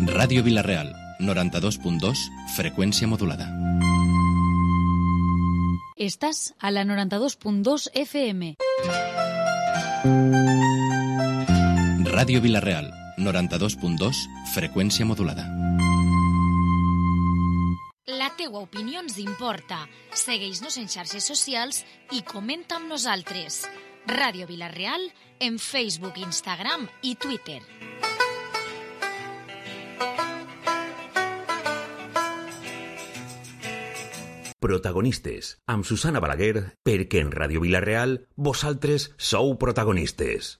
Ràdio Vila-real, 92.2, freqüència modulada. Estàs a la 92.2 FM. Ràdio Vila-real, 92.2, freqüència modulada. La teua opinió ens importa. Segueix-nos en xarxes socials i comenta amb nosaltres. Ràdio Vila-real en Facebook, Instagram i Twitter. Protagonistes, amb Susana Balaguer, perquè en Ràdio Vila-real vosaltres sou protagonistes.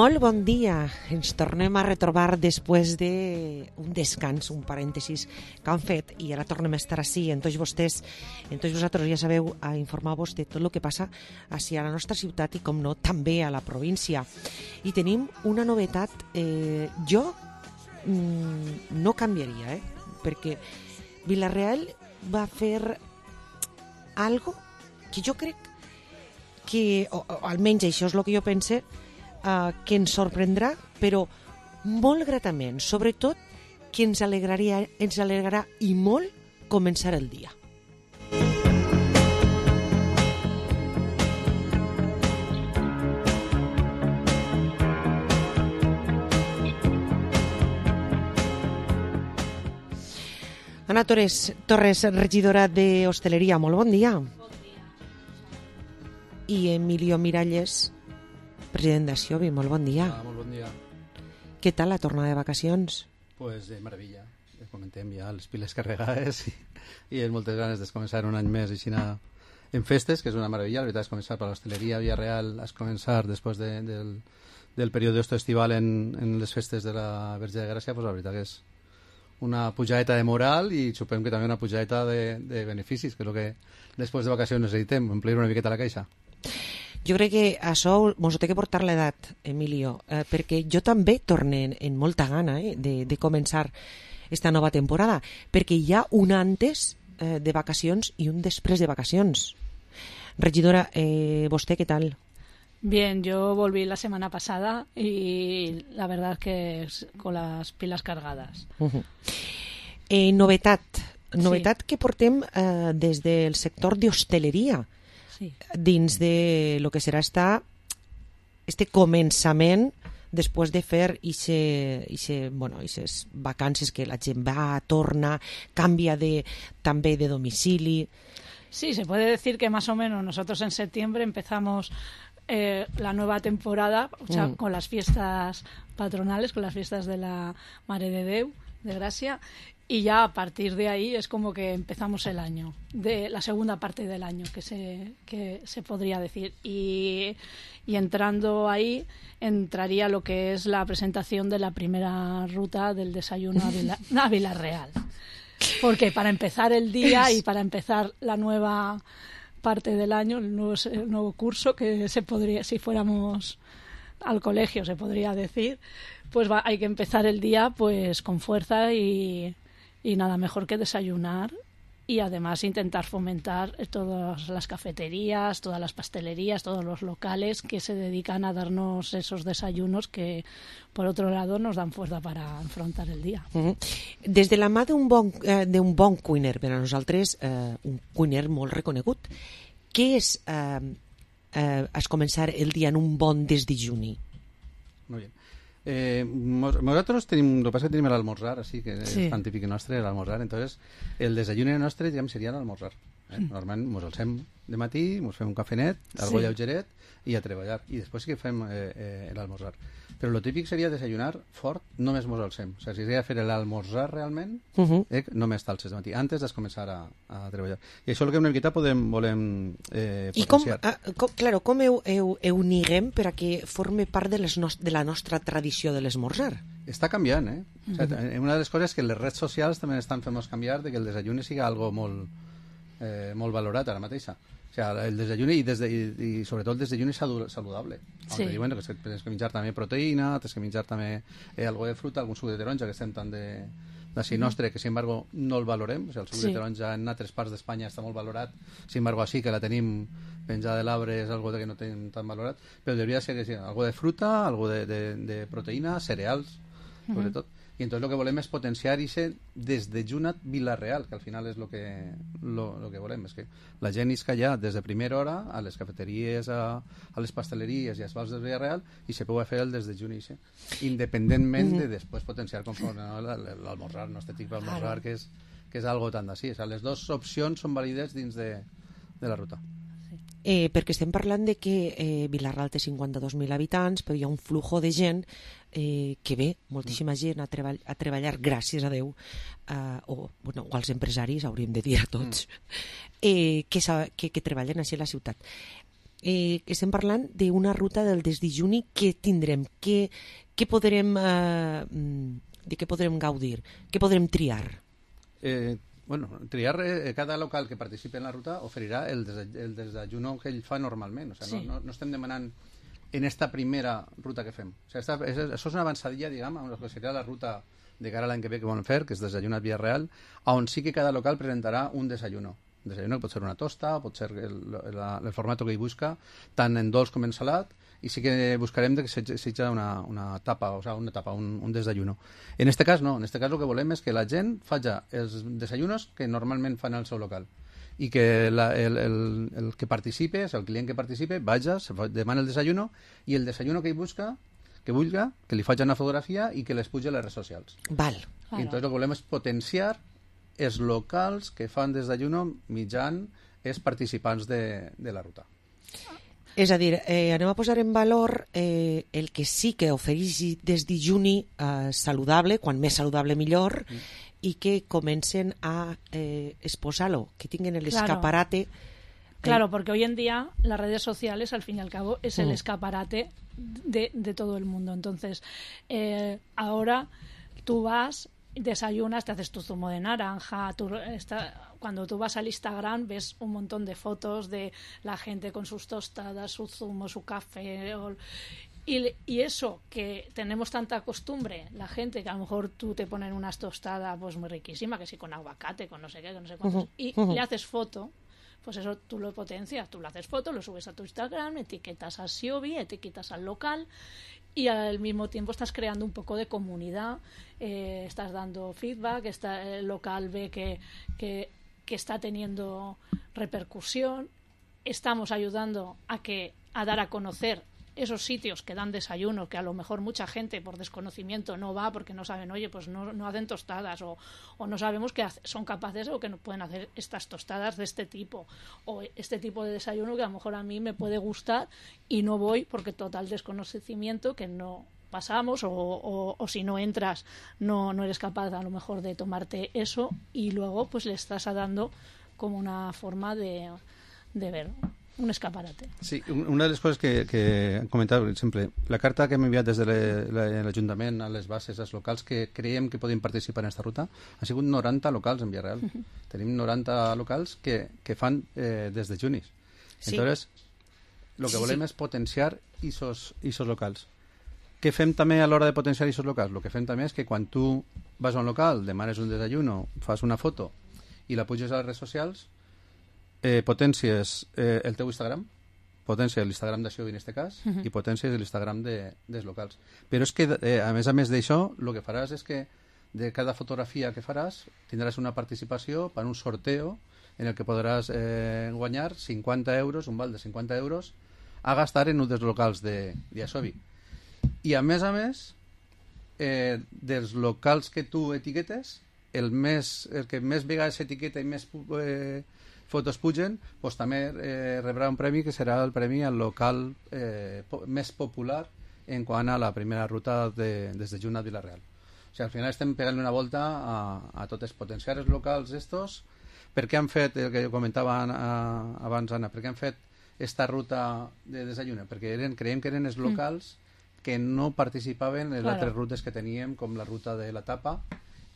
Molt bon dia, ens tornem a retrobar després d'un descans, un parèntesis que han fet i ara tornem a estar així en tots vosaltres ja sabeu a informar-vos de tot el que passa així a la nostra ciutat i com no també a la província. I tenim una novetat, jo no canviaria, perquè Vila-real va fer algo que jo crec que, o almenys això és el que jo pense, que ens sorprendrà, però molt gratament, sobretot que ens alegrarà i molt començar el dia. Ana Torres, regidora d'Hostaleria, molt bon dia. Bon dia. I Emilio Miralles, president d'Axiobi, molt bon dia. Molt bon dia. Què tal la tornada de vacacions? Pues de meravella. Comentem ja les piles carregades i amb moltes ganes de començar un any més així en festes, que és una meravella. La veritat és començar per l'hostaleria Vila-real, és començar després del període estival en les festes de la Verge de Gràcia, pues la veritat que és una pujadeta de moral i supem que també una pujadeta de beneficis, que és el que després de vacacions necessitem, omplir una miqueta la caixa. Jo crec que això mos ho té que portar l'edat, Emilio, perquè jo també torne en molta gana de començar esta nova temporada, perquè hi ha un antes de vacacions i un després de vacacions. Regidora, vostè què tal? Bien, yo volví la semana pasada y la verdad es que con las pilas cargadas. Novetat que portem des del sector d'hostaleria, dins de lo que serà este començament després de fer ixes vacances que la gent va, torna, canvia també de domicili. Sí, se puede decir que más o menos nosotros en septiembre empezamos la nueva temporada, o sea, con las fiestas patronales, con las fiestas de la Mare de Déu, de Gracia, y ya a partir de ahí es como que empezamos el año, de la segunda parte del año que se podría decir, y entrando ahí entraría lo que es la presentación de la primera ruta del desayuno a Vila-real, porque para empezar el día y para empezar la nueva parte del año, el nuevo curso, que se podría, si fuéramos al colegio se podría decir, pues hay que empezar el día pues con fuerza y nada mejor que desayunar y además intentar fomentar todas las cafeterías, todas las pastelerías, todos los locales que se dedican a darnos esos desayunos que, por otro lado, nos dan fuerza para afrontar el día. Des de la mà d'un bon cuiner, per a nosaltres, un cuiner molt reconegut, què és començar el dia en un bon desdejuni? Muy bien. Nosotros tenemos, lo que pasa es que tenemos el almorzar, así que sí. És tan típic nostre, el almorzar. Entonces, el desayuno nostre, diguem, seria l'almorzar. Normalment ens alcem de matí, ens fem un cafenet, algo lleugeret i a treballar. I després sí que fem l'almorzar. Però el típic seria desayunar fort, només ens alcem. O sigui, si seria fer l'almorzar realment, només t'alces de matí, antes de començar a treballar. I això és el que una miqueta volem potenciar. I com ho uniguem per a que forme part de la nostra tradició de l'esmorzar? Està canviant, eh? O sigui, una de les coses que les redes socials també estan fent-nos canviar de que el desayuno sigui algo molt valorat ara mateixa. O sigui, el desayuno i sobretot el desayuno saludable. Sí. Diuen que tens que menjar també proteïna, tens que menjar també algo de fruta, algun suc de taronja, que estem tant d'ací nostre, que sin embargo no el valorem. O sigui, el suc de taronja en altres parts d'Espanya està molt valorat, sin embargo així que la tenim penjada de l'arbre és algo que no tenim tan valorat, però hauria de ser que sí, algo de fruta, algo de proteïna, cereals, sobretot. I entonces lo que volem és potenciar ese desdejunat Vila-real, que al final és lo que volem, és que la gent isca ja des de primera hora a les cafeteries, a les pasteleries i als bars de Vila-real i se pugui fer el desdejuni independentment de després potenciar conforme l'almorzar, no este tipus d'almorzar que és algo tan d'ací. O sigui, les dues opcions són vàlides dins de la ruta. Perquè estem parlant de que Vila-real té 52.000 habitants, però hi ha un flujo de gent que ve, moltíssima gent a treballar, gràcies a Déu, o als empresaris, hauríem de dir a tots, que treballen així a la ciutat. Estem parlant d'una ruta del desdejuni que tindrem, de què podrem gaudir, què podrem triar? Triar cada local que participi en la ruta oferirà el desayuno que ell fa normalment. O sigui, no estem demanant en esta primera ruta que fem. O sigui, això és una avançadilla, diguem, amb el que seria la ruta de cara a l'any que ve que volen fer, que és desayunat Vila-real, on sí que cada local presentarà un desayuno. Un desayuno que pot ser una tosta, pot ser el format que ell busca, tant en dolç com en salat, i sí que buscarem que sigui una tapa, o sigui, un desayuno. En este cas no, en este cas el que volem és que la gent faci els desayunos que normalment fan al seu local i que el que participe, el client que participe, vaja, demana el desayuno i el desayuno que ell busca, que vulga, que li faci una fotografia i que les pugi a les redes socials. Val. I entonces el que volem és potenciar els locals que fan desayuno mitjan els participants de la ruta. És a dir, anem a posar en valor el que sí que ofereix desdejuni saludable, quan més saludable millor, i que comencen a exposar-lo, que tinguen el escaparate. Claro, porque hoy en día las redes sociales, al fin y al cabo, es el escaparate de todo el mundo. Entonces, ahora tú vas, desayunas, te haces tu zumo de naranja, cuando tú vas al Instagram ves un montón de fotos de la gente con sus tostadas, su zumo, su café, y eso que tenemos tanta costumbre, la gente que a lo mejor tú te ponen unas tostadas pues muy riquísimas, que sí, con aguacate, con no sé qué, con no sé cuántos, y le haces foto, pues eso tú lo potencias, tú le haces foto, lo subes a tu Instagram, etiquetas a Siobi, etiquetas al local, y al mismo tiempo estás creando un poco de comunidad, estás dando feedback, el local ve que está teniendo repercusión, estamos ayudando a dar a conocer esos sitios que dan desayuno, que a lo mejor mucha gente por desconocimiento no va porque no saben, oye, pues no hacen tostadas o no sabemos que son capaces o que no pueden hacer estas tostadas de este tipo o este tipo de desayuno que a lo mejor a mí me puede gustar y no voy porque total desconocimiento que no pasamos o si no entras no eres capaz a lo mejor de tomarte eso y luego pues le estás dando como una forma de ver un escaparate. Sí, una de les coses que hem comentat, per exemple, la carta que hem enviat des de l'Ajuntament a les bases, als locals que creiem que poden participar en aquesta ruta, ha sigut 90 locals en Vila-real. Tenim 90 locals que fan desdejunis. Entonces, lo que volem és potenciar esos locals. Què fem també a l'hora de potenciar esos locals? Lo que fem també és que quan tu vas a un local, demanes un desayuno, fas una foto i la puges a les redes socials, potències el teu Instagram, potència l'Instagram de Xiobi en aquest cas, i potència l'Instagram dels locals. Però és que, a més d'això, el que faràs és que de cada fotografia que faràs tindràs una participació per un sorteo en el que podràs guanyar 50 euros, un val de 50 euros, a gastar en un dels locals de Xiobi. I a més, dels locals que tu etiquetes, el que més vegades etiqueta i més fotos pugen, doncs també rebrà un premi que serà el premi al local més popular en quant a la primera ruta des de Junt a Vila-real. O sigui, al final estem pegant una volta a totes, potenciar els locals estos. Per què han fet, el que comentava abans Anna, per què han fet esta ruta de desayuno? Perquè creiem que eren els locals que no participaven en les altres rutes que teníem, com la ruta de la tapa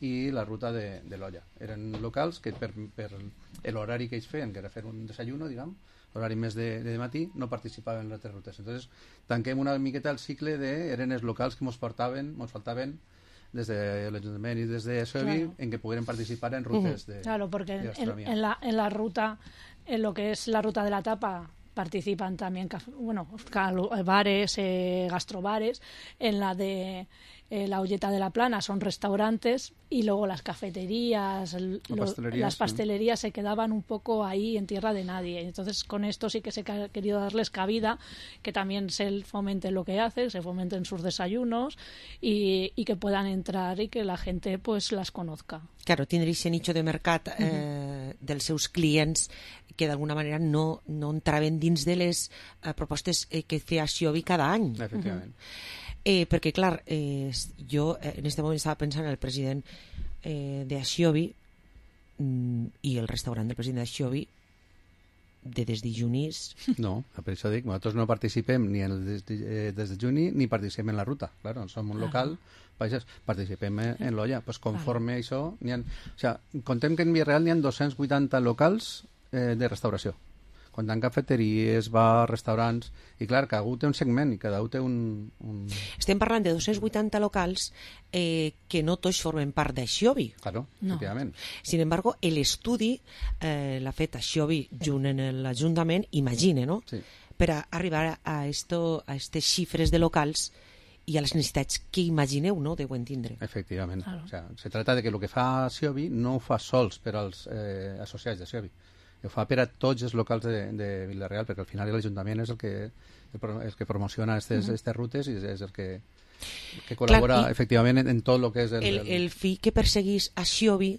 i la ruta de l'olla. Eren locals que per l'horari que ells feien, que era fer un desayuno, diguem, l'horari més de matí, no participaven en les altres rutes. Entonces, tanquem una miqueta el cicle eren els locals que ens faltaven des de l'Ajuntament i des de Xiobi en que pogueren participar en rutes de Claro, porque gastronomía. en la ruta, en lo que es la ruta de la tapa, participan también bares, gastrobares. En la de la Olleta de la Plana son restaurantes, y luego las cafeterías, las pastelerías se quedaban un poco ahí en tierra de nadie. Entonces, con esto sí que se ha querido darles cabida, que también se fomente lo que hacen, se fomenten sus desayunos y que puedan entrar y que la gente pues las conozca. Claro, tindre aquest nicho de mercat dels seus clients que d'alguna manera no entraven dins de les propostes que feia Xiobi cada any. Efectivament. Perquè, clar, jo en aquest moment estava pensant en el president de Xiobi i el restaurant del president de Xiobi de desdijunís. No, per això dic, nosaltres no participem ni en el des de juni ni participem en la ruta. Claro, som un local, participem en l'olla. Pues conforme això, contem que en Villarreal n'hi ha 280 locals de restauració. Comptant cafeteries, bars, restaurants, i clar, cada un té un segment i cada un té un... Estem parlant de 280 locals que no tots formen part de Xiobi. Claro, efectivament. Sin embargo, l'estudi l'ha fet a Xiobi junt en l'Ajuntament, imagine, no? Sí. Per a arribar a aquestes xifres de locals i a les necessitats que imagineu, no?, deuen tindre. Efectivament. Claro. O sea, se trata de que el que fa Xiobi no ho fa sols per als associats de Xiobi. Ho fa per a tots els locals de Vila-real, perquè al final l'Ajuntament és el que promociona aquestes rutes i és el que col·labora efectivament en tot el que és el fi que perseguís a Xiobi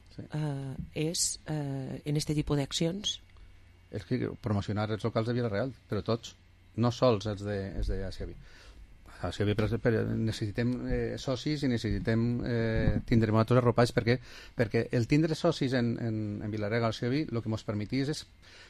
és en aquest tipus d'accions? És que promocionar els locals de Vila-real, però tots, no sols els de Xiobi. A Xiobi necessitem socis i necessitem tindre nosaltres arropats perquè el tindre socis en Vila-real al Xiobi el que ens permetís és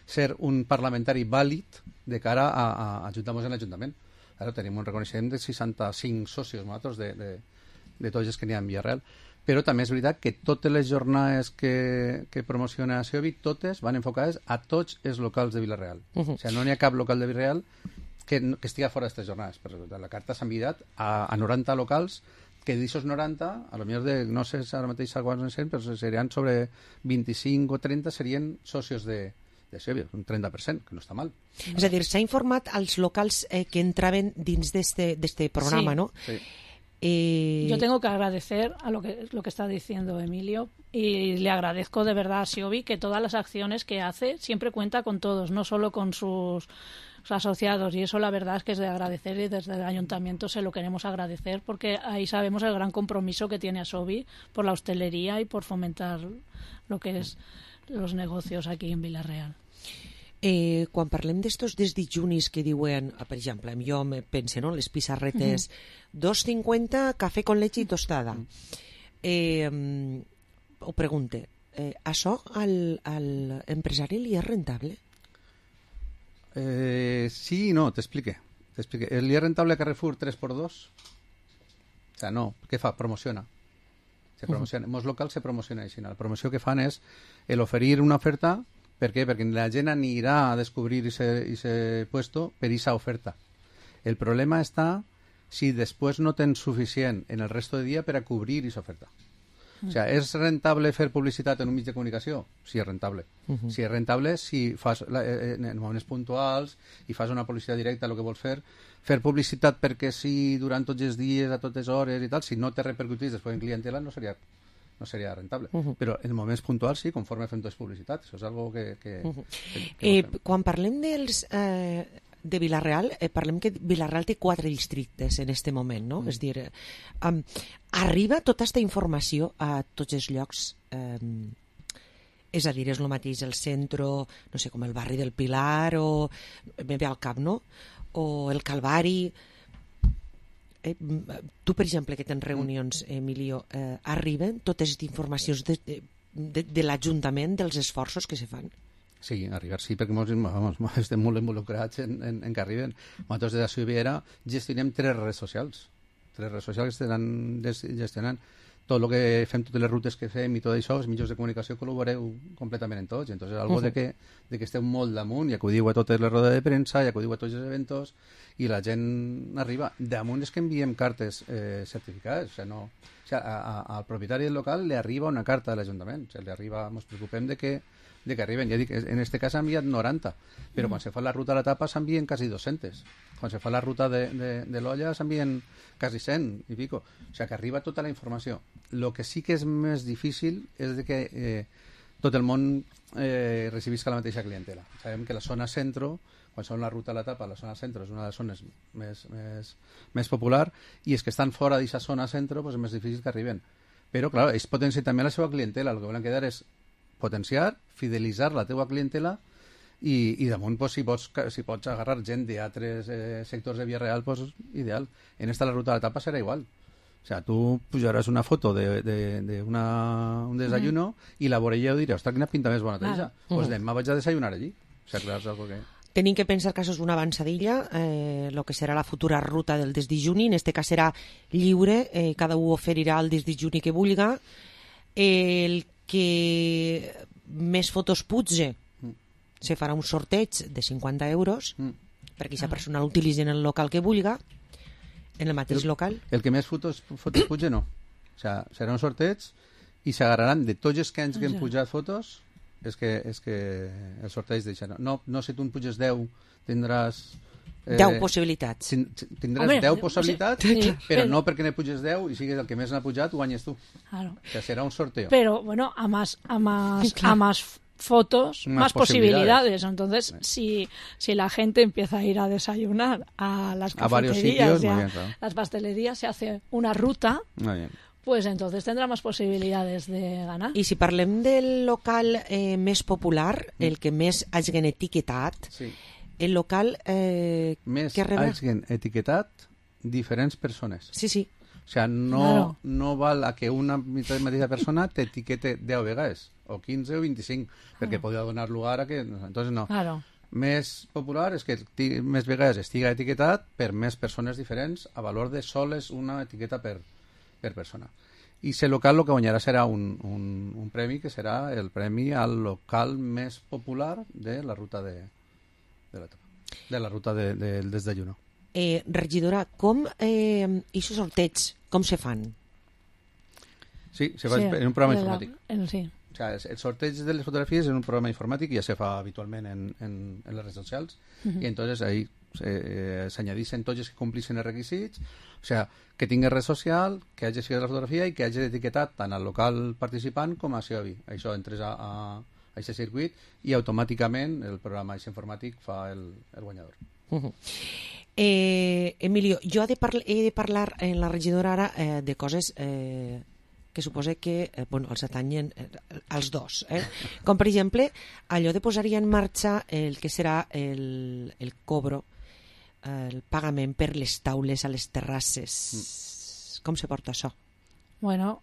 ser un parlamentari vàlid de cara a ajuntar-nos en l'Ajuntament. Ara tenim un reconeixement de 65 socis nosaltres de tots els que n'hi ha en Villarreal, però també és veritat que totes les jornades que promociona Xiobi, totes van enfocades a tots els locals de Vila-real. O sigui, no n'hi ha cap local de Vila-real que estiga fora d'aquestes jornades. Però la carta s'ha enviat a 90 locals que d'aixòs 90, a lo millor no sé ara mateix quants en sent, però serien sobre 25 o 30 serien socios de Xiobi, un 30%, que no està mal. És a dir, s'ha informat als locals que entraven dins d'este programa, sí. ¿no? Sí. Yo tengo que agradecer a lo que está diciendo Emilio, y le agradezco de verdad a Xiobi que todas las acciones que hace siempre cuenta con todos, no solo con sus asociados, y eso la verdad es que es de agradecer, y desde el ayuntamiento se lo queremos agradecer porque ahí sabemos el gran compromiso que tiene Xiobi por la hostelería y por fomentar lo que es los negocios aquí en Vila-real. Quan parlem d'estos desdijunis que diuen, per exemple, jo me pense, no?, les pissarretes, 2,50 cafè con leche i tostada. Ho pregunte, això al empresari li és rentable? Sí i no, t'explique. ¿Li és rentable a Carrefour 3x2? O sea, no. Què fa? Promociona. Se promociona. En molts locals se promociona així. La promoció que fan és l'oferir una oferta. Per què? Perquè la gent anirà a descobrir ese puesto per esa oferta. El problema està si després no tens suficient en el resto de dia per a cobrir esa oferta. O sea, és rentable fer publicitat en un mig de comunicació? Sí, és rentable. Sí, és rentable si fas en moments puntuals i fas una publicitat directa, el que vols fer publicitat perquè sí, durant tots els dies, a totes hores i tal, si no te repercutís després en clientela no seria rentable. Però en moments puntuals sí, conforme fem tots publicitat. Això és algo que quan parlem de Vila-real, parlem que Vila-real té 4 districtes en este moment, no? És dir, arriba tota aquesta informació a tots els llocs, és a dir, és el mateix el centre, no sé, com el barri del Pilar, o me ve al cap, no? O el Calvari. Tu, per exemple, que tens reunions, Emilio, arriben totes les informacions de l'Ajuntament dels esforços que se fan? Sí, arribar sí, perquè estem molt involucrats en que arriben. Nosaltres de la Ciuviera gestionem 3 redes socials. 3 redes socials que estan gestionant tot el que fem, totes les rutes que fem i tot això, els mitjans de comunicació col·laboreu completament en tots. Entonces, algo de que esteu molt damunt i acudiu a totes les rodes de premsa i acudiu a tots els eventos i la gent arriba. Damunt és que enviem cartes certificades. O sigui, al propietari del local li arriba una carta de l'Ajuntament. O sigui, ens preocupem de que arriben. Ja dic, en este cas s'ha enviat 90, però quan se fa la ruta a la tapa s'envien quasi 200. Quan se fa la ruta de l'olla s'envien quasi 100 i pico. O sigui, que arriba tota la informació. El que sí que és més difícil és de que tot el món recibisca la mateixa clientela. Sabem que la zona centro, quan són la ruta a la tapa, la zona centro és una de les zones més popular i és que estan fora d'aquesta zona centro és més difícil que arriben. Però, clar, ells potencien també la seva clientela. El que volen quedar és potenciar, fidelitzar la teua clientela i damunt, si pots agarrar gent d'altres sectors de Vila-real, ideal. En esta la ruta de la tapa serà igual. O sea, tu pujaràs una foto d'un desayuno i la veureu i diré, ostres, quina pinta més bona té ja. Doncs demà vaig a desayunar allí. O sea, clar, és algo que... Tenim que pensar que això és una avançadilla, el que serà la futura ruta del desdejuni. En este cas serà lliure, cada un oferirà el desdejuni que vulga. El que més fotos putge se farà un sorteig de 50 euros perquè aquesta persona l'utilitzi en el local que vulga, en el mateix local. El que més fotos putge no. O sea, serà un sorteig i s'agarraran de tots els que han pujat fotos. És que el sorteig deixa. No, si tu en puges 10 tindràs 10 possibilitats. Tindràs 10 possibilitats, però no perquè ne puges 10 i sigues el que més n'ha pujat, guanyes tu. Claro. O sea, será un sorteo. Pero, bueno, a más fotos, más posibilidades. Entonces, si la gente empieza a ir a desayunar a las cafeterías, las pastelerías, se hace una ruta, pues entonces tendrá más posibilidades de ganar. I si parlem del local més popular, el que més hagin etiquetat, el local més hagin etiquetat diferents persones. Sí. O sea, no val a que una mateixa persona t'etiquete 10 vegades, o 15 o 25, perquè podria donar lugar a que... Entonces no. Claro. Més popular és que més vegades estiga etiquetat per més persones diferents a valor de soles una etiqueta per persona. I el local el que guanyarà serà un premi que serà el premi al local més popular de la ruta de la ruta del desdayuno. Regidora, com aquests sorteig, com se fan? Sí, se fa en un programa informàtic. Sí. O sea, el sorteig de les fotografies és un programa informàtic i ja se fa habitualment en les redes socials i entonces ahí s'añadixen tots els que complixen els requisits, o sea, que tingui red social, que hagi seguit la fotografia i que hagi etiquetat tant al local participant com a Siobi. Això entres a aquest circuit i automàticament el programa informàtic fa el guanyador. Emilio, jo he de parlar en la regidora ara de coses que suposa que els atanyen als dos. Com, per exemple, allò de posar-hi en marxa el que serà el cobro, el pagament per les taules a les terrasses. Com se porta això? Bueno,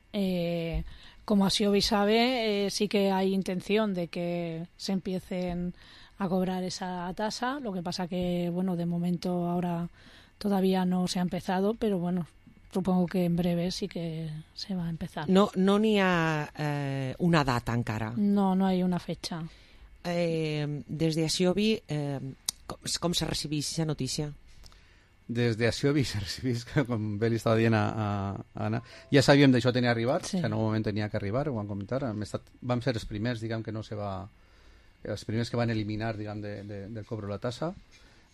como Asiobi sabe, sí que hay intención de que se empiecen a cobrar esa tasa. Lo que pasa que, bueno, de momento ahora todavía no se ha empezado, pero bueno, supongo que en breve sí que se va a empezar. No n'hi ha una data encara? No hay una fecha. Des de Asiobi, com se recibeix aquesta notícia? des d'Acció Vist, com bé li estava dient a Anna, ja sabíem d'això tenia arribat, que en un moment tenia que arribar, ho vam comentar, vam ser els primers, diguem, que no se va... els primers que van eliminar, diguem, del cobro la tassa,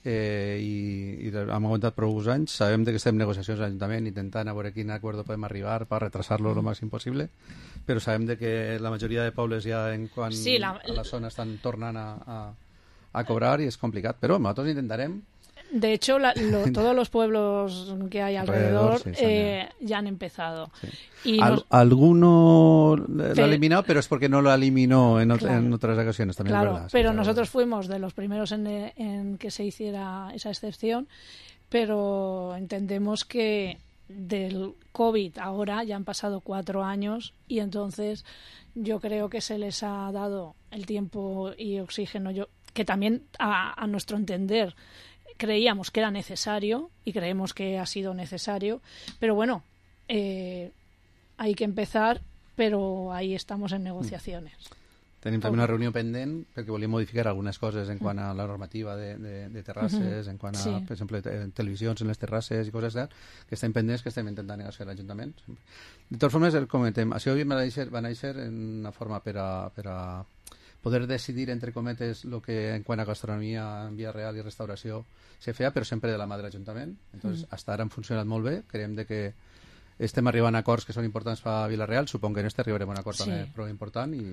i hem aguantat prou anys. Sabem que estem en negociacions a l'Ajuntament intentant a veure quin acord podem arribar per retrasar-lo el màxim possible, però sabem que la majoria de pobles ja en quant a la zona estan tornant a cobrar i és complicat, però nosaltres intentarem. De hecho, todos los pueblos que hay alrededor ya han empezado. Sí. Alguno lo ha eliminado, pero es porque no lo eliminó en otras ocasiones también. Claro, ¿verdad? Pero nosotros fuimos de los primeros en que se hiciera esa excepción, pero entendemos que del COVID ahora ya han pasado 4 años y entonces yo creo que se les ha dado el tiempo y oxígeno que también a nuestro entender creíamos que era necesario y creemos que ha sido necesario, pero bueno, hay que empezar, pero ahí estamos en negociaciones. Tenim també una reunió pendent perquè volíem modificar algunes coses en quant a la normativa de terrasses, en quant a, per exemple, televisions en les terrasses i coses que estem pendents, que estem intentant negociar a l'Ajuntament. De totes formes, el comentem, això va néixer en una forma per a poder decidir, entre cometes, el que en quant a gastronomia en via real i restauració se feia, però sempre de la mà de l'Ajuntament. Entonces, hasta ara han funcionat molt bé, creiem que estem arribant a acords que són importants per a Vila-real, supon que en este arribarem a un acord també prou important i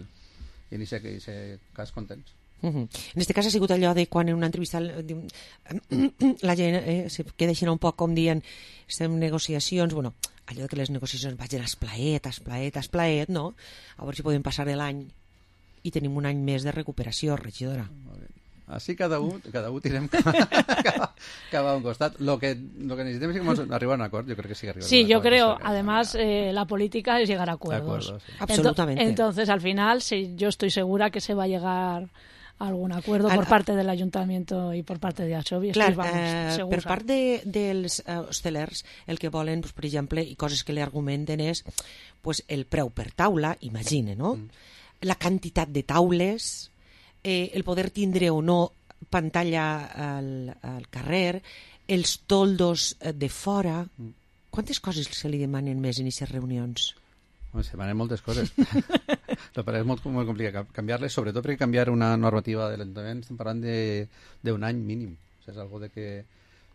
en aquest cas contents. En este cas ha sigut allò de quan en una entrevista la gent se queda així un poc com dient estem en negociacions, bueno, allò que les negociacions vagin esplaet, no? A veure si podem passar l'any i tenim un any més de recuperació, regidora. Així cada un tirem cap a un costat. Lo que necesitem és arribar a un acord. Yo creo que sí arribar. Sí, yo creo. Además, la política es llegar a acuerdos. Sí. Absolutamente. Entonces, al final, sí, yo estoy segura que se va a llegar a algún acuerdo por parte del Ayuntamiento i per part de Axovi. Clar, per part dels hostelers, el que volen, per exemple, i coses que li argumenten és el preu per taula, imagine, no? La quantitat de taules, el poder tindre o no pantalla al carrer, els toldos de fora. Quantes coses se li demanen més en aquestes reunions? Se demanen moltes coses. Però és molt complicat canviar-les, sobretot perquè canviar una normativa de l'Ajuntament estem parlant d'un any mínim. És algo de que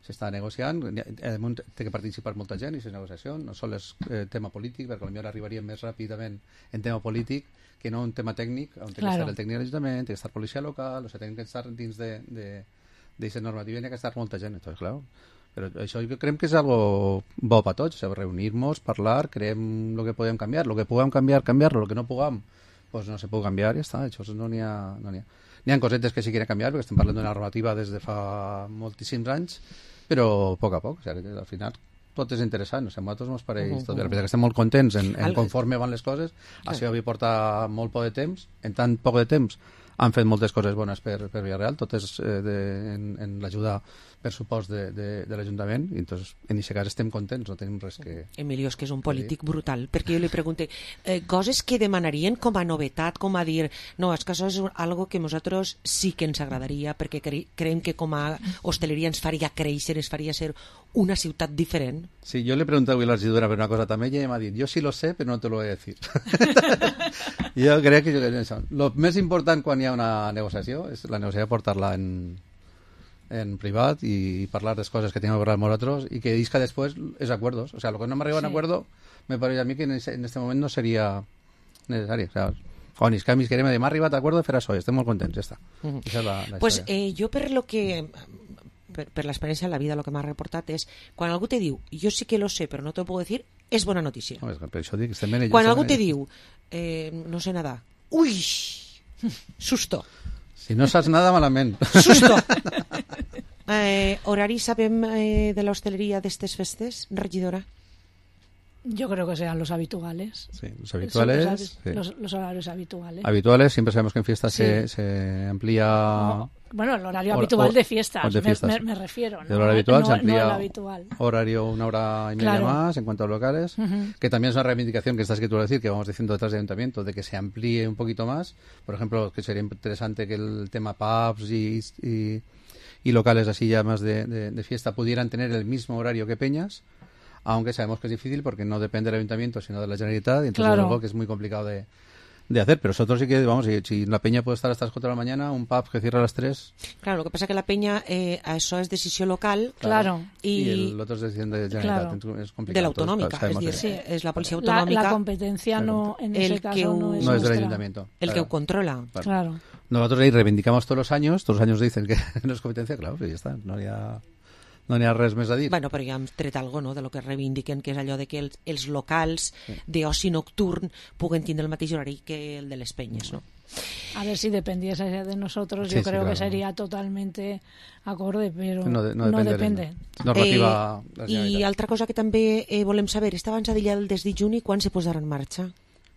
s'està negociant, té que participar molta gent i és negociació, no sols és tema polític, perquè potser arribaríem més ràpidament en tema polític que no en tema tècnic, on té que estar el tècnic de l'Ajuntament, té que estar policia local, o sigui, tenen que estar dins d'aquesta normativa i ha que estar molta gent, entonces, clar. Però això jo crec que és algo bo per tots, reunir-nos, parlar, creem el que podem canviar, el que puguem canviar-lo, el que no puguem, doncs no se pot canviar i ja està, això no n'hi ha. N'hi ha cosetes que sí que quieren canviar, perquè estem parlant d'una normativa des de fa moltíssims anys, però a poc, o sigui, al final tot és interessant, a nosaltres ens pareix tot bé, que estem molt contents en conforme van les coses, això havia portat molt poc de temps, en tan poc de temps han fet moltes coses bones per Vila-real, totes en l'ajuda per supost de l'Ajuntament, i entonces, en aquest cas estem contents, no tenim res que... Emilio, és que és un polític brutal, perquè jo li pregunté coses que demanarien com a novetat, com a dir, no, és que això és algo que nosaltres sí que ens agradaria, perquè creiem que com a hosteleria ens faria créixer, ens faria ser una ciutat diferent. Sí, jo le pregunté avui a la regidora per una cosa també, i ella m'ha dit, jo sí lo sé, però no te lo voy a decir. Jo crec que el més important quan hi ha una negociació és la negociació portar-la en privat i parlar de les coses que tenim que parlar amb nosaltres i que disca després és acuerdos. O sea, lo que no me arriba en acuerdo me parece a mí que en este moment no sería necesario. O sea, quan els canvis querem dir, m'ha arribat a acuerdo de fer això i estem molt contents, ja està. Esa és la pues jo per lo que... per l'experiència de la vida, el que m'ha reportat és quan algú te diu, jo sí que lo sé però no te lo puedo decir, és bona notícia. No, per això dic, estem ben quan algú te diu no sé nedar, ui, susto. Si no saps nada, malament. Susto. Horari sabem de l'hostaleria d'estes festes, regidora? Yo creo que serán los habituales. Sí, los habituales. Los horarios habituales. Habituales, siempre sabemos que en fiestas se amplía Bueno, el horario habitual de fiestas, me refiero. El horario habitual se amplía no el habitual. Horario 1 hora y media más en cuanto a locales, que también es una reivindicación que estás que tú vas a decir, que vamos diciendo detrás del ayuntamiento, de que se amplíe un poquito más. Por ejemplo, que sería interesante que el tema pubs y locales así ya más de fiesta pudieran tener el mismo horario que peñas, aunque sabemos que es difícil porque no depende del ayuntamiento sino de la Generalitat, y entonces es algo que es muy complicado de hacer, pero nosotros sí que, vamos, si la peña puede estar hasta las 4 de la mañana, un pub que cierra a las 3... Claro, lo que pasa que la peña, això és decisió local, y el otro es decisión de Generalitat, es complicado. De la autonómica, es la policía autonómica. La competencia no, en ese caso, no es del ayuntamiento. El que lo controla. Claro. Nosotros ahí reivindicamos todos los años dicen que no es competencia, claro, pues ya está, no n'hi ha res més a dir. Bueno, però ja hem tret alguna cosa, no?, de lo que reivindiquen, que és allò de que els locals d'oci nocturn puguen tindre el mateix horari que el de les penyes, no? A ver, si dependiese de nosotros, yo creo que sería totalmente acorde, pero no depende. Normativa I altra cosa que també volem saber, està abans d'allà el des de juny, quan se posarà en marxa?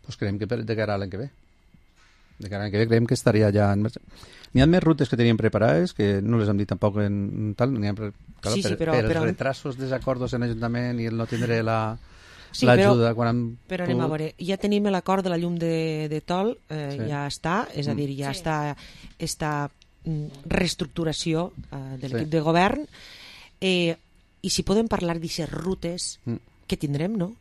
Pues creiem que de cara a l'any que ve. De cara a l'any que ve creiem que estaria ja en marxa. N'hi ha més rutes que teníem preparades, que no les hem dit tampoc en tal, però els retrasos, desacordos en l'Ajuntament i el no tindre l'ajuda quan però anem a veure, ja tenim l'acord de la llum de Tol, ja està, és a dir, ja està esta reestructuració de l'equip de govern, i si podem parlar d'aquestes rutes que tindrem, no?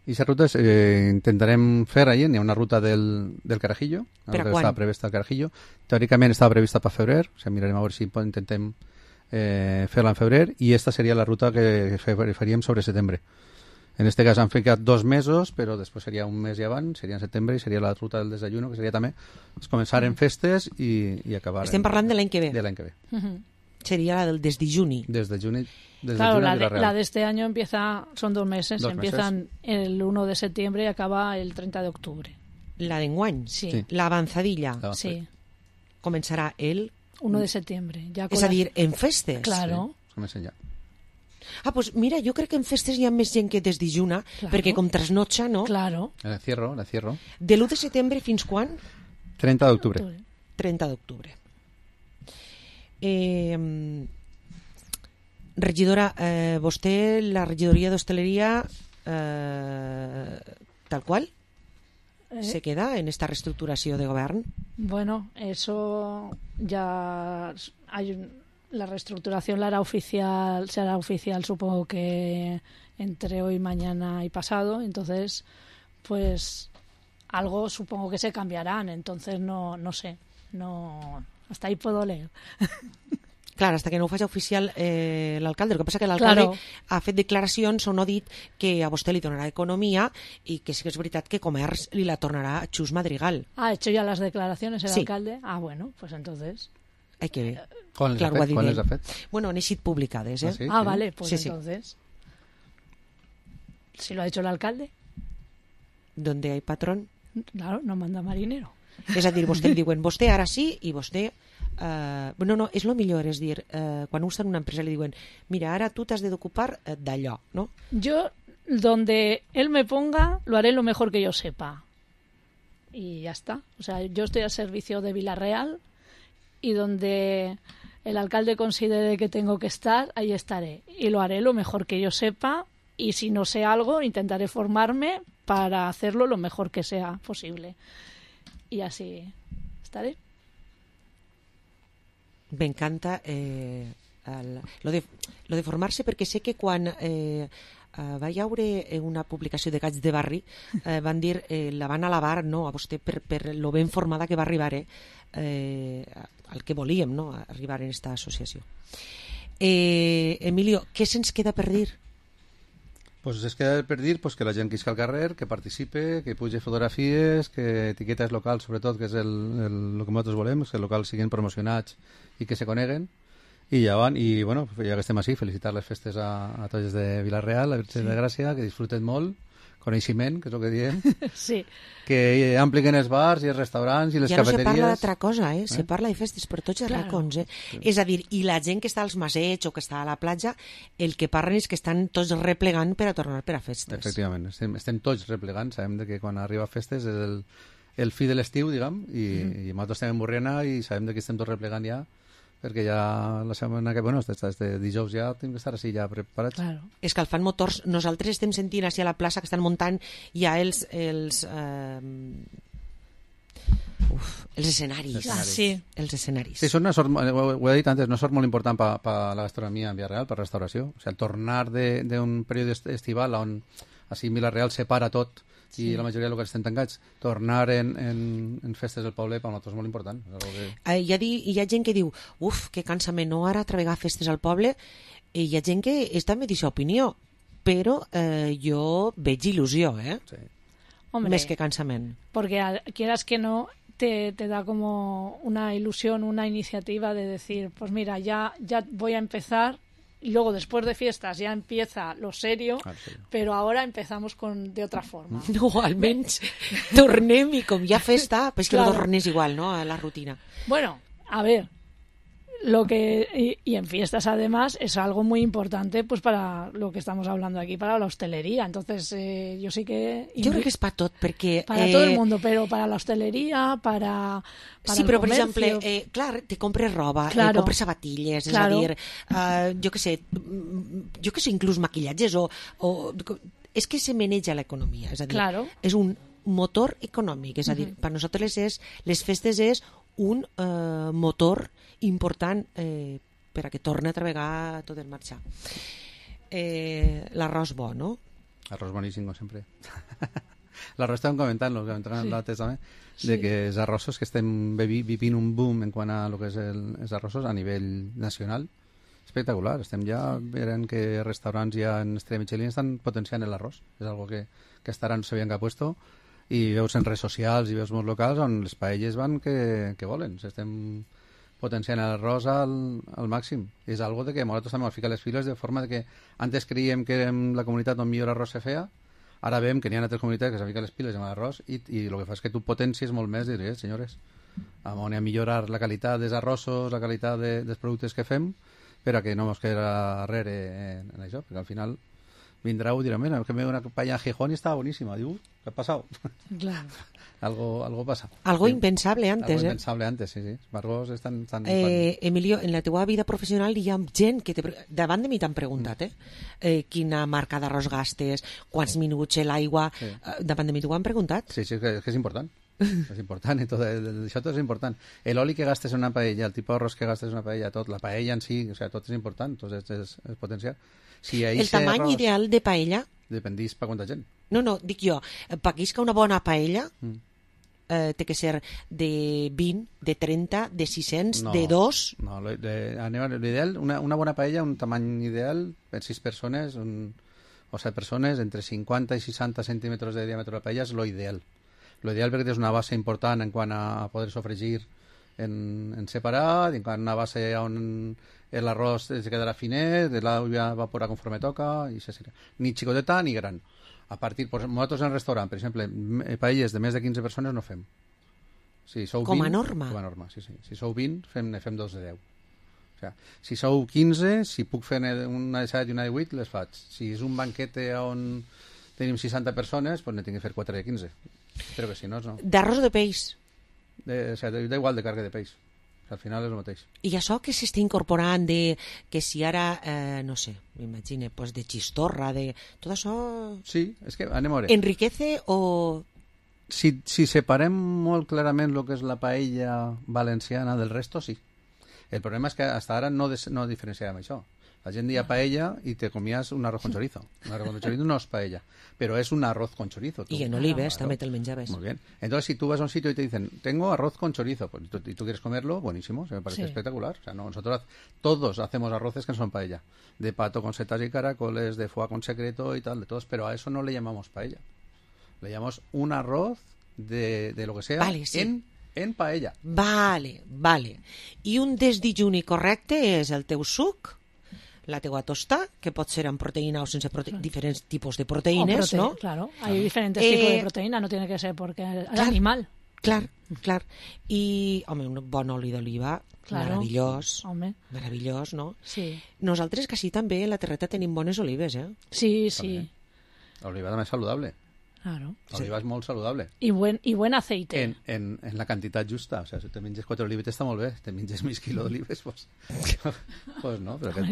I aquestes rutes intentarem fer allà. Hi ha una ruta del Carajillo, que està prevista al Carajillo. Teòricament estava prevista per febrer, o sigui, mirarem a veure si intentem fer-la en febrer, i esta seria la ruta que faríem sobre setembre. En este cas han ficat 2 mesos, però després seria un mes i abans, seria en setembre, i seria la ruta del desayuno, que seria també començar en festes i acabar... Estem parlant de l'any que ve. De l'any que ve. Sería la del desde junio. Desde junio. Claro, la de este año son 2 meses. Empiezan el 1 de septiembre y acaba el 30 de octubre. La d'enguany? Sí. La avanzadilla? Sí. Començarà el... 1 de septiembre. És a dir, en festes? Claro. Sí, comencen ja. Pues mira, jo crec que en festes hi ha més gent que des de juny, perquè com trasnotxa, no? Claro. La cierro. De l'1 de setembre fins quan? 30 d'octubre. 30 d'octubre. Regidora, vostè, la regidoria d'hostaleria, tal qual, se queda en esta reestructuració de govern? Bueno, eso ya la reestructuración será oficial supongo que entre hoy, mañana y pasado, entonces pues algo supongo que se cambiarán, entonces no sé, hasta ahí puedo leer. Clar, hasta que no ho faci oficial l'alcalde. El que passa que l'alcalde ha fet declaracions on ha dit que a vostè li donarà economia i que sí que és veritat que comerç li la tornarà a Xus Madrigal. ¿Ha hecho ya las declaraciones el alcalde? Ah, bueno, pues entonces... Hay que ver. ¿Cuál les ha fet? Bueno, han eixit publicades, ¿Ah, sí? Vale, pues sí, entonces... ¿Si lo ha hecho el alcalde? Donde hay patrón. Claro, no manda marinero. És a dir, vostè li diuen, vostè ara sí i vostè... no, és el millor, és dir, quan un està en una empresa li diuen, mira, ara tu t'has d'ocupar d'allò, no? Yo, donde él me ponga, lo haré lo mejor que yo sepa. Y ya está. O sea, yo estoy al servicio de Vila-real y donde el alcalde considere que tengo que estar, ahí estaré. Y lo haré lo mejor que yo sepa y si no sé algo, intentaré formarme para hacerlo lo mejor que sea posible. Y así estaré. M'encanta lo de formar-se, perquè sé que quan va hi haure una publicació de Gats de Barri van dir, la van alabar, no, a vostè per lo ben formada que va arribar al que volíem, no, arribar en esta associació. Emilio, què se'ns queda per dir? Pues es queda per dir que la gent que isca al carrer, que participe, que pugi fotografies, que etiquetes locals, sobretot, que és el que nosaltres volem, que els locals siguin promocionats i que se coneguen. I ja van, i bueno, ja que estem així, felicitar les festes a tots de Vila-real, la Virgen de Gràcia, que disfruten molt, coneixement, que és el que diem, sí. Que ampliquen els bars i els restaurants i les cafeteries. Ja no se parla d'altra cosa, se parla de festes per tots els racons. Sí. És a dir, i la gent que està als masets o que està a la platja, el que parlen és que estan tots replegant per a tornar per a festes. Efectivament, estem tots replegant, sabem que quan arriba a festes és el fi de l'estiu, diguem, i nosaltres estem en Borriana i sabem que estem tots replegant ja perquè ja la setmana que, bueno, des de dijous ja tenim que estar així ja preparats. Claro. Escalfant motors, nosaltres estem sentint així a la plaça que estan muntant ja els escenaris. Sí. Els escenaris. Sí, són una sort, ho he dit antes, una sort molt important per la gastronomia en Villarreal, per restauració. O sigui, el tornar d'un període estival on així Villarreal separa tot i la majoria de locals estan tancats, tornar en festes del poble per nosaltres és molt important. Hi ha gent que diu, que cansament, no ara treballar festes al poble, i hi ha gent que és també d'aquesta opinió, però jo veig il·lusió, Sí. Hombre, més que cansament. porque quieras que no, te da como una ilusión, una iniciativa de decir, pues mira, ya voy a empezar. Y luego, después de fiestas, ya empieza lo serio, pero ahora empezamos de otra forma. No, almenys tornem i com hi ha festa, pues que Claro. no tornes igual, no?, a la rutina. Bueno, a ver, y en fiestas además es algo muy importante pues para lo que estamos hablando aquí, para la hostelería. Entonces, yo sí que... Jo crec que és per tot, perquè... Para todo el mundo, pero para la hostelería, para sí, el però, per comercio. exemple, clar, te compres roba, Claro. compres sabatilles, Claro. és a dir, jo que sé, inclús maquillatges, és que se maneja l'economia, és a dir, Claro. és un motor econòmic, és a dir, per nosaltres les festes és un motor important per a que torni a treballar tot el marxar. L'arròs bo, no? Arròs boníssim, com sempre. L'arròs estàvem comentant-lo, l'altre també, de que els arrossos que estem vivint un boom en quant a lo que és els arrossos a nivell nacional, espectacular. Estem ja veient que restaurants ja en estrella Michelin estan potenciant l'arròs. És algo que hasta ara no s'havien que puesto, i veus en redes socials i veus molts locals on les paelles van que volen. Estem potenciant l'arròs al màxim. És algo de que nosaltres també ens fica les files de forma de que antes creiem que en la comunitat on millor arròs se feia, ara veiem que n'hi ha altres comunitats que se fiquen les piles amb l'arròs i el que fa és que tu potencies molt més i diries, senyores, on hi ha millorar la qualitat dels arrossos, la qualitat dels productes que fem, per a que no ens quedi darrere en això, perquè al final vindrà i dirà, mira, que me una paella a Gijón y estaba buenísima. Diu, ¿qué ha pasado? Claro. algo pasa. Algo Sí. impensable antes, Algo impensable antes, sí. Els arròs estan... Emilio, en la teva vida professional hi ha gent que davant de mi t'han preguntat quina marca d'arròs gastes, quants minuts l'aigua, Sí. davant de mi t'ho han preguntat. Sí, és que és important. És important, això tot és important. L'oli que gastes en una paella, el tipus d'arròs que gastes en una paella, tot, la paella en si, o sea, tot és important, tot és potencial. Si El tamany arròs ideal de paella, dependís per quanta gent. no, dic jo, paguisca una bona paella, té que ser de 20, de 30, de 600, No, de 2... No, l'ideal, una bona paella, un tamany ideal, per 6 persones, o 7 persones, entre 50 i 60 centímetres de diàmetre de la paella és lo ideal. Lo ideal perquè és una base important en quant a poder sofregir en separat, en quant a una base on l'arròs es quedarà finet, l'aigua evaporarà conforme toca, i ni xicoteta ni gran. A partir, nosaltres en restaurant, per exemple, paelles de més de 15 persones no fem. Si sou Com a 20, norma? Com a norma, sí. Si sou 20, fem 2 de 10. O sigui, si sou 15, si puc fer una de 7 i una de 8, les faig. Si és un banquete on tenim 60 persones, doncs ne tinc que fer 4 de 15. Però que si no, no. D'arròs o de peix? O sigui, da igual de càrrega de peix. O sigui, al final és el mateix. I això que s'està incorporant de que si ara, no sé, m'imagine, pues de xistorra, de... Tot això Sí, és que anem a veure. enriquece o... Si separem molt clarament el que és la paella valenciana del resto, sí. El problema és que fins ara no diferenciàvem això. La gent deia paella i te comías un arroz con chorizo. Un arroz con chorizo no es paella, pero es un arroz con chorizo. I en olives també te'l menjaves. Muy bien. Entonces, si tú vas a un sitio y te dicen, tengo arroz con chorizo, pues, y tú quieres comerlo, buenísimo, se me parece Sí. espectacular. O sea, nosotros todos hacemos arroces que no son paella. De pato con setas y caracoles, de foie con secreto y tal, de todos, pero a eso no le llamamos paella. Le llamamos un arroz de lo que sea Vale, sí. en paella. Vale. I un desdijuni correcte és el teu suc, la teua tosta, que pot ser amb proteïna o sense diferents tipus de proteïnes, ¿no? Claro, hay diferentes tipos de proteína, no tiene que ser porque es animal. Clar. I, home, un bon oli d'oliva, Claro. meravellós, no? Sí, Nosaltres quasi també a la terreta tenim bones olives, sí. La oliva també és saludable. Claro. L'oliva és molt saludable. Y buen aceite. En la quantitat justa. O sigui, si te menges 4 olives està molt bé. Si te menges mig quilo d'olives, pues no, però que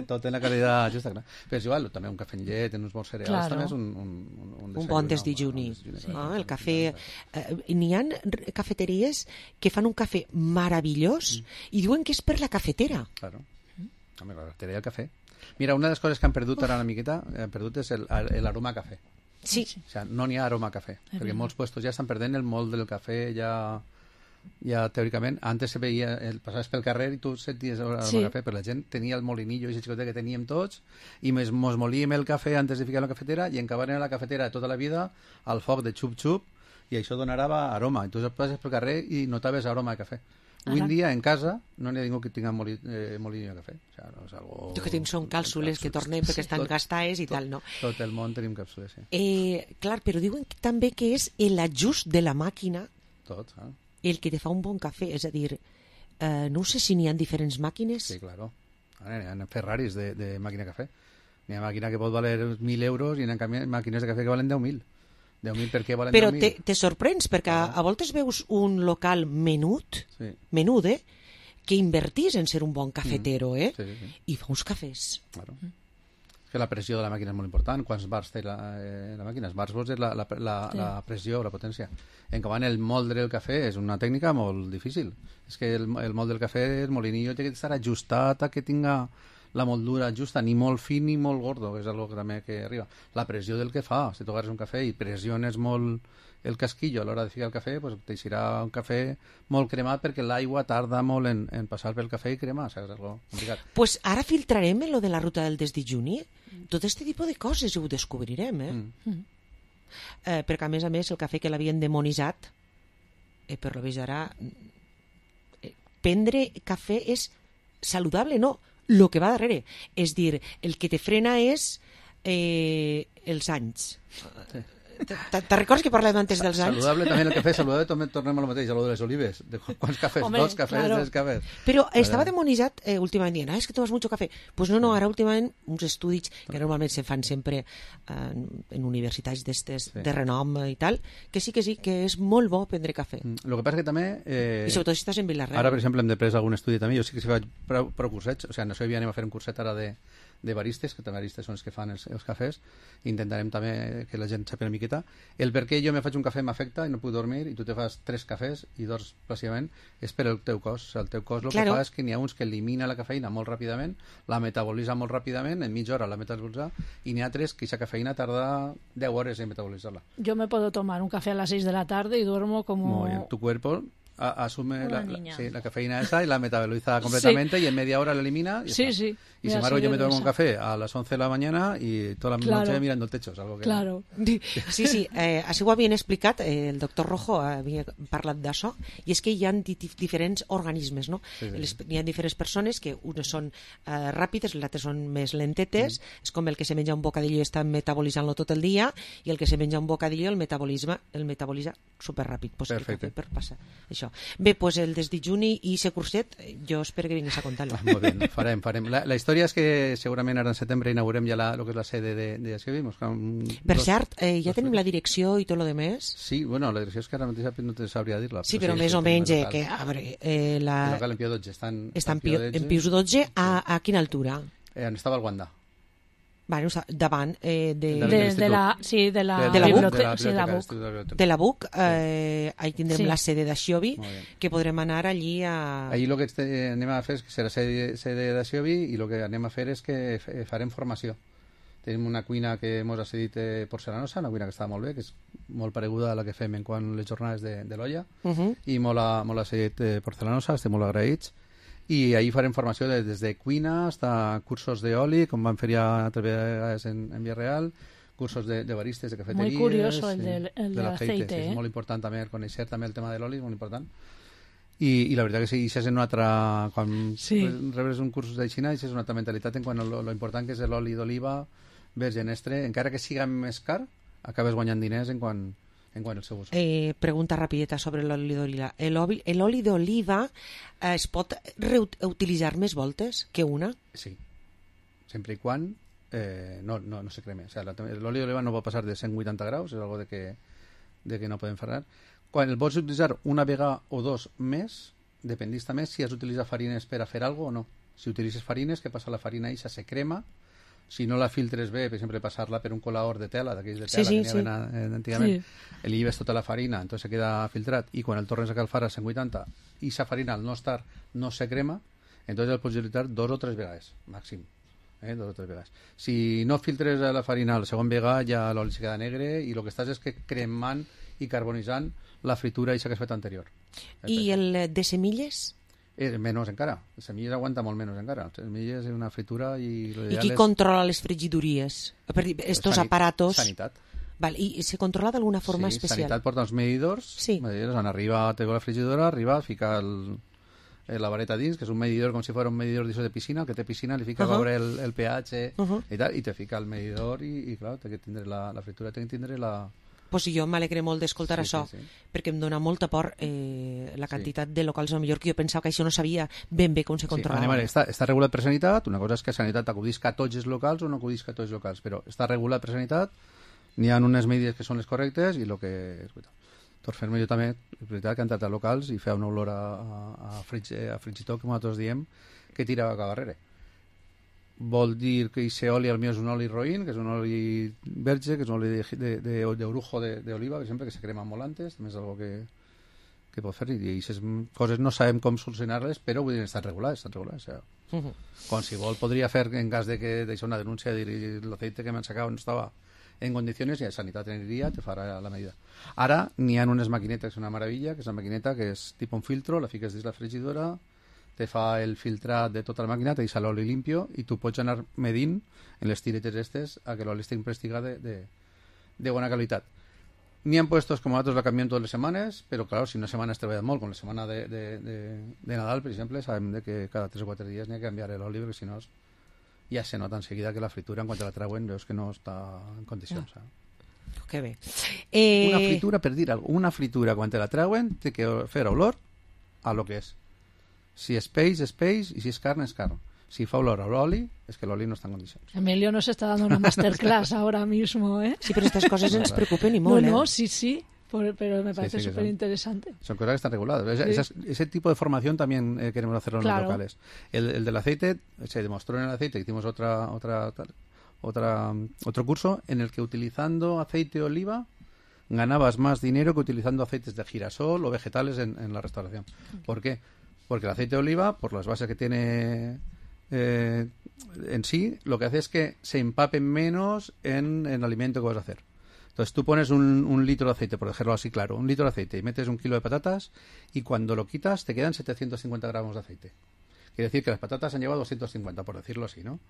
tot en la qualitat justa. Clar. Però és igual, també un cafè amb llet, en uns bons cereals, també és un bon desdejuni. El cafè... N'hi ha cafeteries que fan un cafè meravellós i diuen que és per la cafetera. Claro. Home, la cafetera i el cafè. Mira, una de les coses que han perdut ara una miqueta, és l'aroma a cafè. Sí. O sigui, no n'hi ha aroma a cafè, perquè molts puestos ja estan perdent el molt del cafè, ja teòricament. Antes se veia, passaves pel carrer i tu senties aroma a cafè, però la gent tenia el molinillo, i xicotet que teníem tots, i mos molíem el cafè antes de ficar a la cafetera, i encabaven a la cafetera tota la vida al foc de xup-xup, i això donava aroma. I tu passes pel carrer i notaves aroma de cafè. Avui en dia, en casa, no n'hi ha ningú que tinga molinillo de cafè. O sigui, no és algo... Jo que tinc són càpsules que tornem perquè estan gastades i tal, no? Tot el món tenim càpsules, sí. Clar, però diuen també que és l'ajust de la màquina el que te fa un bon cafè. És a dir, no sé si n'hi ha diferents màquines. Sí, claro. Hi ha Ferraris de màquina de cafè. N'hi ha màquina que pot valer 1.000 euros i n'hi ha màquines de cafè que valen 10.000. 10.000 per què valen 10.000? Però te sorprens, perquè a voltes veus un local menut, que invertís en ser un bon cafetero, i fa uns cafès. Claro. Que la pressió de la màquina és molt important. Quants bars té la màquina? Els bars vols és la pressió, la potència. En canvi, el moldre del cafè és una tècnica molt difícil. És que el mold del cafè, el molinillo, té que estar ajustat a que tinga la moldura justa, ni molt fin ni molt gordo, que és algo que també que arriba. La pressió del que fa, si tu agarres un cafè i pressiones molt el casquillo a l'hora de ficar el cafè, pues t'eixirà un cafè molt cremat perquè l'aigua tarda molt en passar pel cafè i cremar, saps? És algo complicat. Pues ara filtrarem lo de la ruta del desdejuni. Tot este tipus de coses ho descobrirem, perquè a més el cafè que l'havien demonitzat, per lo vist ara, prendre cafè és saludable, no? El que va darrere. És dir, el que te frena és els anys. Te recordes que parlàvem antes dels anys? Saludable també el cafè, saludable també tornem a lo mateix, a lo de les olives. Quants cafès? Home, 2 cafès, 3 cafès. Però estava demonitzat últimament dient, és que tomas mucho cafè. Pues no, ara últimament uns estudis que normalment se fan sempre en universitats d'estes de renom i tal, que sí, que és molt bo prendre cafè. Lo que passa que també... I sobretot si estàs en Vilareal. Ara, per exemple, hem de prendre algun estudi també. Jo sí que si faig prou cursets, o sigui, no sé, anem a fer un curset ara de baristes, que també baristes són els que fan els cafès. Intentarem també que la gent sàpiga una miqueta. El per què jo me faig un cafè m'afecta i no puc dormir i tu te fas 3 cafès i dors plàcidament és per el teu cos. O sigui, el teu cos el que fa és que n'hi ha uns que elimina la cafeïna molt ràpidament, la metabolitza molt ràpidament, en mitja hora la metabolitza, i n'hi ha 3 que aquesta cafeïna tarda 10 hores en metabolitzar-la. Yo me puedo tomar un café a las 6 de la tarde y duermo como... Muy bien. Tu cuerpo asume la cafeína esa y la metaboliza completamente y en media hora la elimina y sí. Y sin embargo yo me tomo un café a las 11 de la mañana y toda la noche mirando el techo. Es algo que... Claro. Sí, així ho havien explicat, el doctor Rojo havia parlat d'això, i és que hi ha diferents organismes, no? Hi ha diferents persones que unes són ràpides, les altres són més lentetes, és com el que se menja un bocadillo i està metabolitzant-lo tot el dia, i el que se menja un bocadillo el metabolitza superràpid. Pues perfecte. Per passar això. Bé, pues el desdejuni i ese curset, jo espero que vinguis a contar-lo. Molt bé, farem. La història és que segurament ara en setembre inaugurem ja lo que és la sede de Siobi. Per cert, ja tenim la direcció i tot lo de més? Sí, bueno, la direcció és que ara mateix no te sabria dir-la. Sí, però més o menys, que a veure... El local en Pío XII. Està en Pius XII, a quina altura? On estava el Wanda. Bueno, davant de la BUC, ahí tindrem la sede de Xiobi, que podrem anar allí a... Allí el que anem a fer és que serà sede de Xiobi i el que anem a fer és que farem formació. Tenim una cuina que ens ha cedit porcelanosa, una cuina que està molt bé, que és molt pareguda a la que fem en quant les jornades de l'olla, i molt ha cedit porcelanosa, estem molt agraïts. I ahir farem formació des de cuina fins a cursos d'oli, com van fer ja altres vegades en Vilareal, cursos de baristes, de cafeteries... Muy curioso el del aceite. És molt important també conèixer també el tema de l'oli, és molt important. I la veritat que sí, això és una altra... Quan rebes un curs de Xina, això és una altra mentalitat en quant a lo important que és l'oli d'oliva virgen extra, encara que siga més car, acabes guanyant diners en quant al seu ús. Pregunta rapideta sobre l'oli d'oliva. L'oli d'oliva es pot reutilitzar més voltes que una? Sí, sempre i quan no se creme. O sea, l'oli d'oliva no pot passar de 180 graus, és algo de que no podem ferrar. Quan el pots utilitzar una vegada o dos més, dependista més si has d'utilitzar farines per a fer alguna cosa o no. Si utilitzes farines, què passa? La farina eixa se crema. Si no la filtres bé, per exemple, passar-la per un colador de tela, d'aquells de tela que n'hi havia antigament, li lleves tota la farina, entonces se queda filtrat, i quan el tornes a calfar a 180, i sa farina al no estar no se crema, entonces el pots utilitzar 2 o 3 vegades, màxim. 2 o 3 vegades. Si no filtres la farina la segona vegada, ja l'oli se queda negre, i el que estàs és que cremant i carbonitzant la fritura eixa que has fet anterior. I el de semilles? Menys encara. Les semilles aguanta molt menys encara. Les semilles és una fritura i... I qui controla les frigidories? Estos aparatos... Sanitat. Vale, i se controla d'alguna forma especial? Sanitat porta els medidors. On arriba, té la frigidora, arriba, fica la vareta dins, que és un medidor com si fos un medidor de piscina, el que té piscina li fica a veure el pH i tal, i te fica el medidor i clar, té que tindre la fritura, té que tindre la... Pues jo m'alegre molt d'escoltar això, perquè em dona molta por la quantitat de locals, o millor que jo pensava que això no sabia ben bé com se controlava. Està regulat per Sanitat, una cosa és que Sanitat acudisca a tots els locals o no acudisca a tots els locals, però està regulat per Sanitat, n'hi ha unes medides que són les correctes i el que és veritat. Per fer-me jo també, és veritat que he entrat a locals i feia una olor a frigitor, que nosaltres diem, que tira cap darrere. Vol dir que aquest oli al meu és un oli roïn, que és un oli verge, que és un oli d'orujo d'oliva, per exemple, que se crema molt antes, també és algo que pot fer, i aquestes coses no sabem com solucionar-les, però vull dir, estan regulades. O sigui, qualsevol podria fer, en cas de que deixa una denúncia, dir l'aceite que m'han sacat no estava en condicions, i a Sanitat aniria, te farà la medida. Ara n'hi ha unes maquinetes, que és una meravella, que és una maquineta que és tipus un filtro, la fiques dins la frigidora, te fa el filtrat de tota la màquina, te deixa l'oli limpio i tu pots anar medint en les tiretes estes a que l'oli estigui prestigat de bona qualitat. N'hi ha puestos com nosaltres la canviem totes les setmanes, però clar, si una setmana has treballat molt, com la setmana de Nadal, per exemple, sabem que cada 3 o 4 dies n'hi ha que canviar l'oli, perquè si no ja se nota enseguida que la fritura, en quan te la treuen, veus que no està en condicions. Que bé. Una fritura, per dir alguna cosa, una fritura, quan te la treuen, té que fer olor a lo que és. Si és peix, i si és carn, és carn. Si fa olor a l'oli, es que l'oli no está en condiciones. Emilio nos está dando una masterclass ahora mismo, ¿eh? Sí, pero estas cosas ens preocupen y molt, No, sí, pero me parece súper interesante. Son cosas que están reguladas. Ese tipo de formación también queremos hacerlo en los locales. El del aceite, se demostró en el aceite, hicimos otro curso en el que utilizando aceite de oliva ganabas más dinero que utilizando aceites de girasol o vegetales en la restauración. ¿Por qué? Porque el aceite de oliva, por las bases que tiene en sí, lo que hace es que se empape menos en el alimento que vas a hacer. Entonces tú pones un litro de aceite, por dejarlo así claro, un litro de aceite y metes 1 kilo de patatas y cuando lo quitas te quedan 750 gramos de aceite. Quiere decir que las patatas han llevado 250, por decirlo así, ¿no?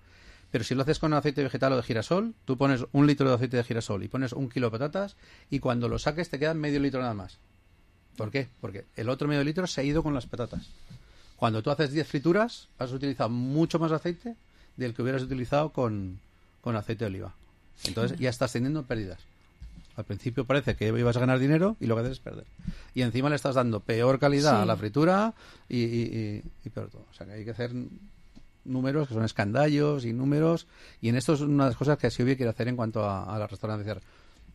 Pero si lo haces con aceite vegetal o de girasol, tú pones 1 litro de aceite de girasol y pones 1 kilo de patatas y cuando lo saques te quedan medio litro nada más. ¿Por qué? Porque el otro medio litro se ha ido con las patatas. Cuando tú haces 10 frituras, has utilizado mucho más aceite del que hubieras utilizado con aceite de oliva. Entonces ya estás teniendo pérdidas. Al principio parece que ibas a ganar dinero y lo que haces es perder. Y encima le estás dando peor calidad a la fritura y peor todo. O sea que hay que hacer números que son escandallos y números. Y en esto es una de las cosas que Asiobi quiere hacer en cuanto a la restauración.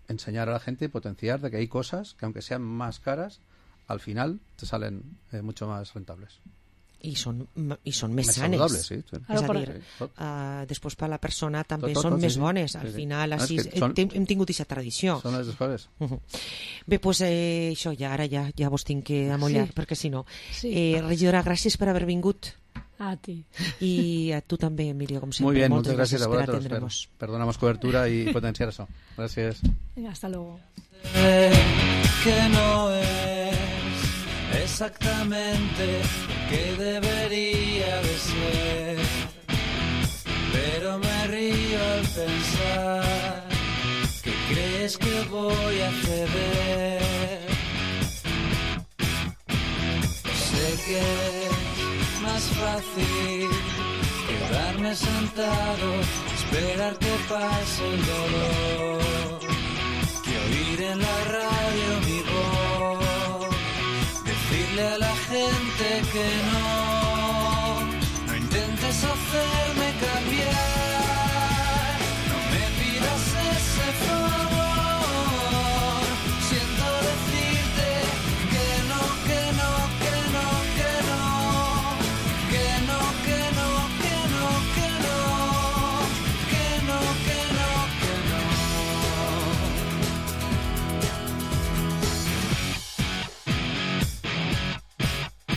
Enseñar a la gente y potenciar de que hay cosas que aunque sean más caras, al final te salen mucho más rentables. I són més sanes. Saludables, sí. És a dir, després per a la persona també són més bones. Al final, així hem tingut aquesta tradició. Són les coses. Bé, doncs això, ara ja vos tinc que amollar, perquè si no. Regidora, gràcies per haver vingut. A ti. Y a tú también, Emilio, como siempre. Muy bien, muchas gracias a vosotros. Perdonamos cobertura y potenciar eso. Gracias. Venga, hasta luego. Que no es exactamente que debería de ser, pero me río al pensar que crees que voy a ceder. Sé que es más fácil quedarme sentado, esperar que pase el dolor, que oír en la radio mi voz, decirle a la gente que no